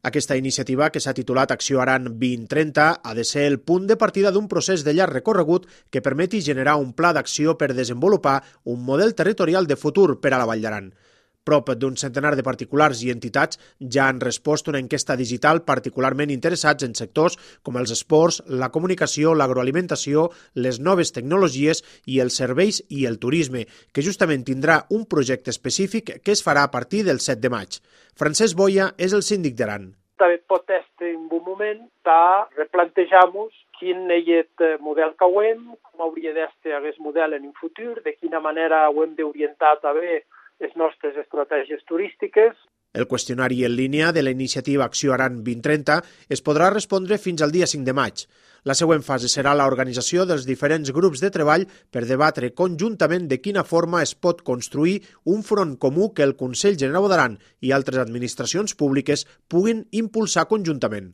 Aquesta iniciativa, que s'ha titulat Acció Aran 2030, ha de ser el punt de partida d'un procés de llarg recorregut que permeti generar un pla d'acció per desenvolupar un model territorial de futur per a la Vall d'Aran. Prop d'un centenar de particulars i entitats ja han respost una enquesta digital particularment interessats en sectors com els esports, la comunicació, l'agroalimentació, les noves tecnologies i els serveis i el turisme, que justament tindrà un projecte específic que es farà a partir del 7 de maig. Francesc Boia és el síndic d'Aran. També pot ser un bon moment de replantejar-nos quin és el model que hem, com hauria de ser aquest model en un futur, de quina manera ho hem d'orientar també les nostres estratègies turístiques. El qüestionari en línia de la iniciativa Acció Aran 2030 es podrà respondre fins al dia 5 de maig. La següent fase serà l'organització dels diferents grups de treball per debatre conjuntament de quina forma es pot construir un front comú que el Consell Generau d'Aran i altres administracions públiques puguin impulsar conjuntament.